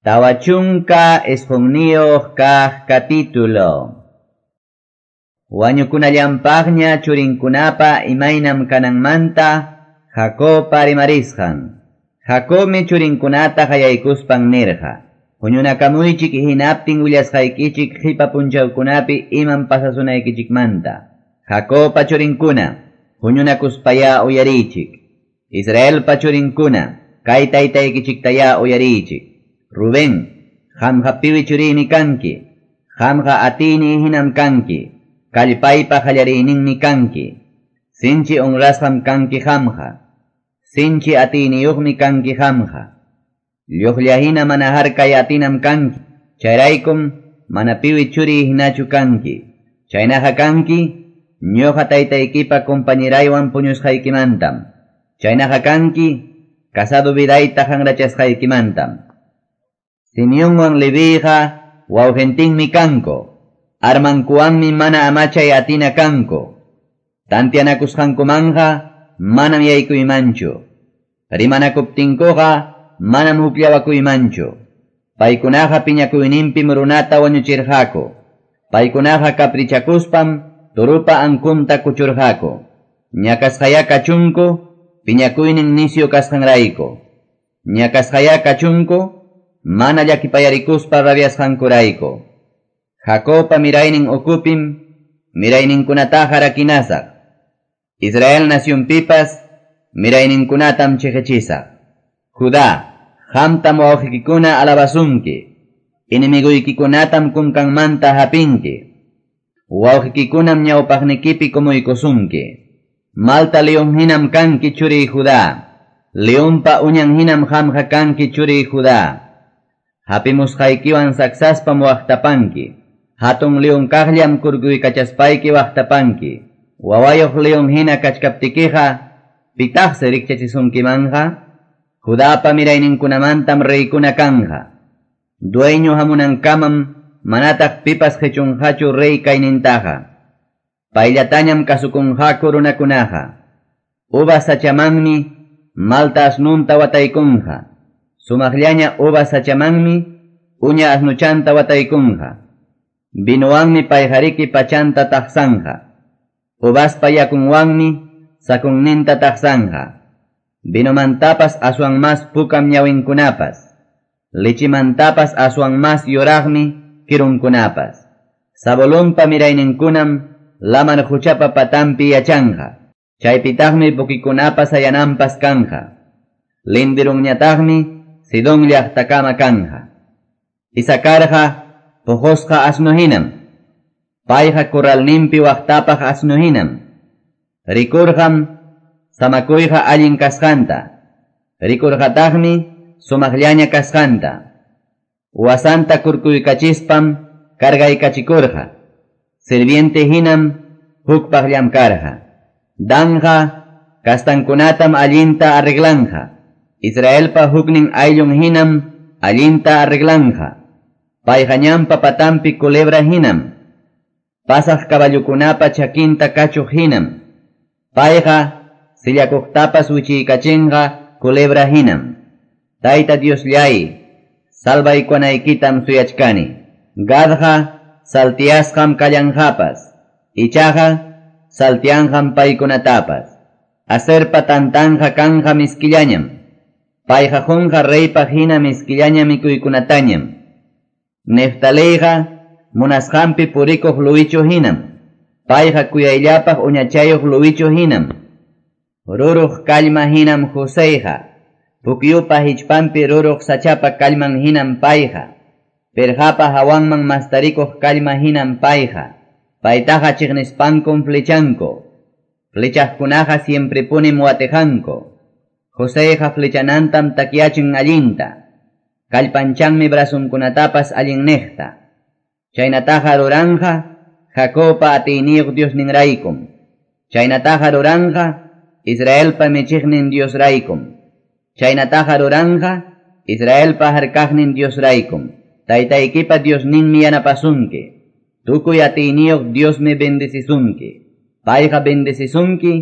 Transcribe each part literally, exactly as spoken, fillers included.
Tawa chunka isqunniyuq kaq capítulo. Wañukunallampaqña churinkunapa imaynam kananmanta Jacobpa rimarisqan. Jacobmi churinkunata qayaykuspan nirqa. Huñunakamuychik hinaptin willasqaykichik qipa punchawkunapi imam pasasunaykichikmanta. Jacobpa churinkuna, huñunakuspaya uyariychik. Israelpa churinkuna, kay taytaykichiktaya uyariychik. Rubén, qamqa piwi churiymi kanki, qamqa atiyniy hinam kanki, kallpaypa qallariyninmi kanki, sinchi honrasqam kanki qamqa, sinchi atiyniyuqmi kanki qamqa, lluqlla hina mana harkay atinam kanki, chayraykum mana piwi churiy hinachu kanki, chaynaqa kanki, ñuqa taytaykipa compañeraywan puñusqaykimantam, chaynaqa kanki, casado vidayta hanrachasqaykimantam. Simeonwan Leviqa wawqintinmi kanku, armankuwanmi mana amachay atina kanku, tantianakusqankumanqa manam yaykuymanchu, rimanakuptinkuqa manam hukllawakuymanchu, paykunaqa piñakuyninpim runata wañuchirqaku, paykunaqa caprichakuspam turupa ankunta kuchurqaku, ñakasqaya kachunku piñakuynin nisyu kasqanrayku, ñakasqaya kachunku mana llakipayarikuspa rabiasqankurayku. Jacobpa miraynin ukupim mirayninkunataqa rakinasaq. Israel nacionpipas mirayninkunatam chiqichisaq. Judá, qamtam wawqiykikuna alabasunki, enemiguykikunatam kunkanmanta hapinki, wawqiykikunam ñawpaqnikipi kumuykusunki. Malta león hinam kanki churiy Judá, leonpa uñan hinam qamqa kanki churiy Judá. Hapimusqaykiwan saksaspam waqtapanki, hatun león kaqllam kurkuykachaspayki waqtapanki, wawayuq león hina kachkaptikiqa, pitaqsi rikchachisunkimanqa? Judapa mirayninkunamantam reykuna kanja. Dueño hamunankamam manataq pipas qichunqachu rey kaynintaqa. Payllatañam kasukunqaku runakunaqa. Uvas sachamanmi malta asnunta wataykunqa. Sumaqllaña uvas sachamanmi uña asnuchanta wataykunqa. Vinuwanmi payqariki pachanta taqsanqa. Uvaspa yakunwanmi sakunninta taqsanqa. Vinomantapas aswan mas pukam ñawinkunapas. Lichimantapas aswan mas yuraqmi kirunkunapas. Zabulonpa mirayninkunam lamar quchapa patampi yachanqa. Chaypitaqmi pukikunapas ayananpas kanja. Lindirunñataqmi Sidón llaqtakama kanja. Isacarqa puqusqa asnu hinam. Payqa corralninpi waqtapaq asnu hinam. Rikurqam samakuyqa allin kasqanta. Rikurqataqmi sumaqllaña kasqanta. Wasanta kurkuykachispam cargaykachikurqa. Sirviente hinam hukpaq llamkarqa. Danja kastankunatam allinta arreglanja. Israelpa huknin ayllun hinam allinta arreglanja. Payqa ñanpa patampi culebra hinam. Pasaq caballukunapa chakinta kachuq hinam. Payqa sillakuqtapas wichiykachinqa culebra hinam. Tayta Diosllay, salvaykunaykitam suyachkani. Gadqa saltiasqam kallanqapas, ichaqa saltianqam paykunatapas. Aserpa tantanja kanja miskillañam. Payqa qunqa reypaq hina miskillaña mikuykunatañam. Neftaleyqa munasqanpi purikuq luwichu hinam. Payqa kuyayllapaq uñachayuq luwichu hinam. Ruruq kallma hinam Joseyqa. Pukyupa hichpanpi ruruq sachapa kallman hinam payqa. Pirqapa hawanman mastarikuq kallma hinam payqa. Paytaqa chiqnispankum flechanku. Flechaqkunaqa siemprepunim watiqanku. Joseyqa flechanantam takyachin allinta. Kallpanchanmi brasunkunatapas allinniqta. Chaynataqa ruranja Jacobpa atiyniyuq Diosninraykum. Chaynataqa ruranja Israelpa michiqnin Diosraykum. Chaynataqa ruranja Israelpa harkaqnin Diosraykum. Taytaykipa Diosninmi yanapasunki. Tukuy atiyniyuq Diosmi bendecisunki. Payqa bendecisunki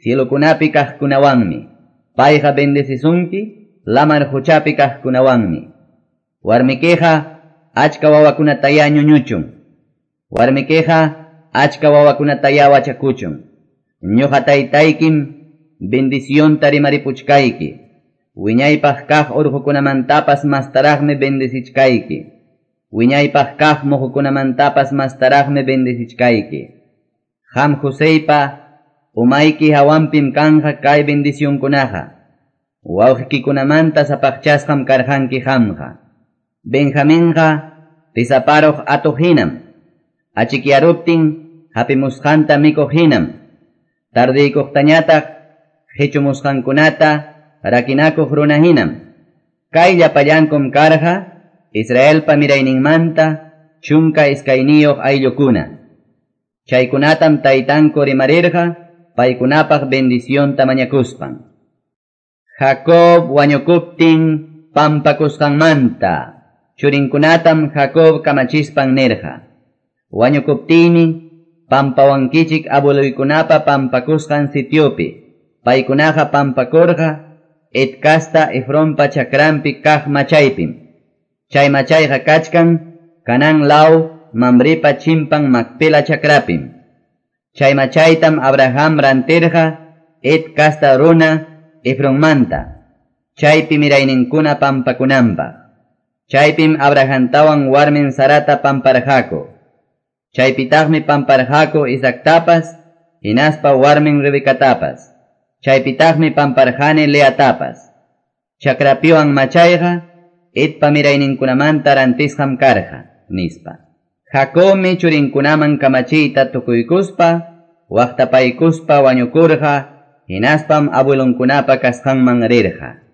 cielokunapi kaqkunawanmi. Payqa bendecisunki lamar quchapi kaqkunawanmi. Warmikiqa achka wawakunatayá ñuñuchun. Warmikiqa achka wawakunatayá wachakuchun. Ñuqa taytaykim bendicionta rimaripuchkayki. Wiñaypaq kaq urqukunamantapas mastaraqmi bendecichkayki. Wiñaypaq kaq muhukunamantapas mastaraqmi bendecichkayki. Qam Joseypa umayki hawanpim kanqa kay bendicionkunaqa. Wawqikikunamanta sapaqchasqam karqanki qamqa. Benjaminqa tisaparuq atuq hinam. Achikyaruptin hapimusqanta mikuq hinam. Tardiykuqtañataq qichumusqankunata rakinakuq runa hinam. Kay llapallankum karqa Israelpa mirayninmanta chunka iskayniyuq ayllukuna. Chaykunatam taytanku rimarirqa paykunapaq bendicionta mañakuspan. Jacob wañukuptin pampakusqanmanta churinkunatam Jacob kamachispan nirqa. Wañukuptiymi pampawankichik abueluykunapa pampakusqan sitiopi. Paykunaqa pampakurqa Het kasta Efronpa chakranpi kaq machaypim. Chay machayqa kachkan Canaán law Mamripa chimpan Macpela chakrapim. Chay machaytam Abraham rantirqa Het kasta runa Efronmanta. Chaypi mirayninkuna pampakunanpaq. Chaypim Abrahamtawan warmin Sarata pamparqaku. Chaypitaqmi pamparqaku Isaactapas, hinaspa warmin Rebecatapas. Chaypitaqmi pamparqani Leatapas. Chakrapiwan machayqa Hetpa mirayninkunamanta rantisqam karqa, nispa. Jacobmi churinkunaman kamachiyta tukuykuspa, waqtapaykuspa wañukurqa, hinaspam abuelonkunapa kasqanman rirqa.